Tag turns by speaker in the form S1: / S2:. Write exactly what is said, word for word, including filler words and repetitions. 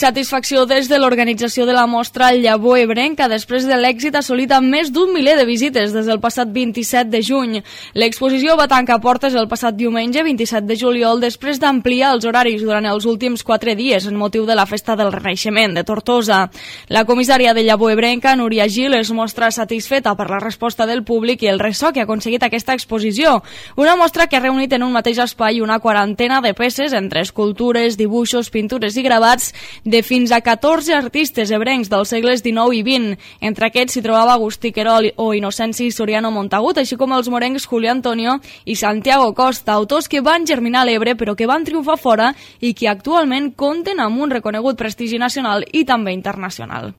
S1: satisfacció des de l'organització de la mostra Llavor Ebrenca després de l'èxit assolit amb més d'un miler de visites des del passat vint-i-set de juny. L'exposició va tancar portes el passat diumenge vint-i-set de juliol després d'ampliar els horaris durant els últims quatre dies en motiu de la Festa del Renaixement de Tortosa. La comissària de Llavor Ebrenca, Núria Gil, es mostra satisfeta per la resposta del públic i el ressò que ha aconseguit aquesta exposició. Una mostra que ha reunit en un mateix espai una quarantena de peces entre escultures, dibuixos, pintures i gravats de fins a catorze artistes ebrencs dels segles dinou i vint. Entre aquests s'hi trobava Agustí Querol o Inocenci Soriano Montagut, així com els morencs Julio Antonio i Santiago Costa, autors que van germinar a l'Ebre però que van triomfar fora i que actualment compten amb un reconegut prestigi nacional i també internacional.